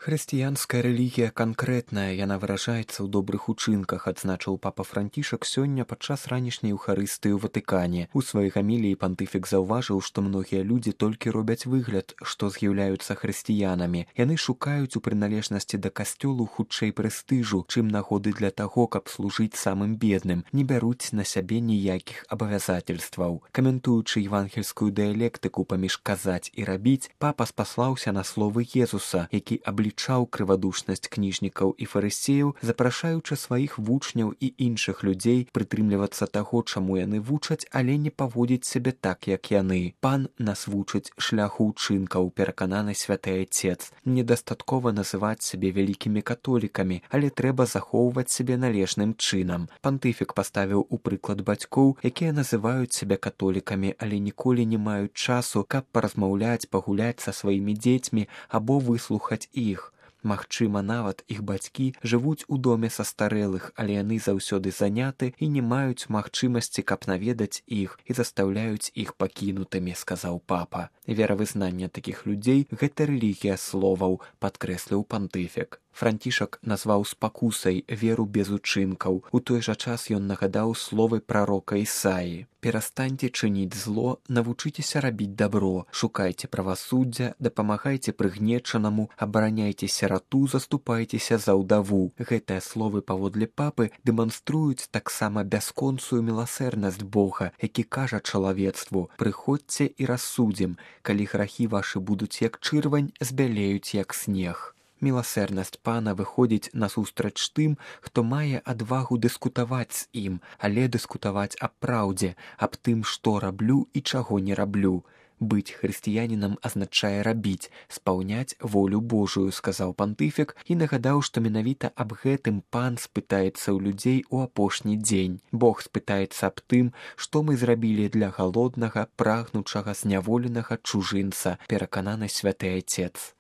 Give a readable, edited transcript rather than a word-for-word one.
Хрысціянская рэлігія канкрэтная, яна выражаецца ў добрых учынках, адзначыў папа Францішак сёння падчас ранішняй эўхарыстыі ў Ватыкане. У сваёй гаміліі пантыфік заўважыў, што многія людзі толькі робяць выгляд, што з'яўляюцца хрысціянамі. Яны шукаюць у прыналежнасці да касцёлу хутчэй прэстыжу, чым нагоды для таго, каб служыць самым бедным, не бяруць на сябе ніякіх абавязательстваў. Каментуючы евангельскую дыялектыку паміж казаць і рабіць, папа спаслаўся на словы Езуса, які аблічаў крывадушнасць кніжнікаў і фарысеяў, запрашаючы сваіх вучняў і іншых людзей прытрымлівацца таго, чаму яны вучаць, але не паводзіць сябе так, як яны. Пан нас вучыць шляху ўчынкаў, перакананы святы Айцец. Недастаткова называць сябе вялікімі католікамі, але трэба захоўваць сябе належным чынам. Пантыфік паставіў у прыклад бацькоў, якія называюць сябе католікамі, але ніколі не маюць часу, каб паразмаўляць, пагуляць са сваімі дзецьмі або выслухаць іх. Магчыма, нават іх бацькі жывуць у доме састарэлых, але яны заўсёды заняты і не маюць магчымасці, каб наведаць іх і застаўляюць іх пакінутымі, сказаў папа. Веравызнанне такіх людзей – гэта рэлігія словаў, падкрэсліў пантыфік. Францішак назваў спакусай веру без учынкаў. У той жа час ён нагадаў словы прарока Ісаі. «Перастаньце чыніць зло, навучыцеся рабіць дабро, шукайце правасуддзя, дапамагайце прыгнечанаму, абараняйце сірату, заступайцеся за ўдаву». Гэтыя словы паводле папы дэманструюць таксама бясконцую міласэрнасць Бога, які кажа чалавецтву: «Прыходзьце і рассудзім, калі грахі вашы будуць як чырвань, збялеюць як снег». Міласэрнасць пана выходзіць насустрач тым, хто мае адвагу дыскутаваць з ім, але дыскутаваць аб праўдзе, аб тым, што раблю і чаго не раблю. Быць хрысціянінам азначае рабіць, спаўняць волю Божую, сказаў пантыфік і нагадаў, што менавіта аб гэтым пан спытаецца ў людзей у апошні дзень. Бог спытаецца аб тым, што мы зрабілі для галоднага, прагнучага, зняволенага чужынца, перакананы святы Айцец.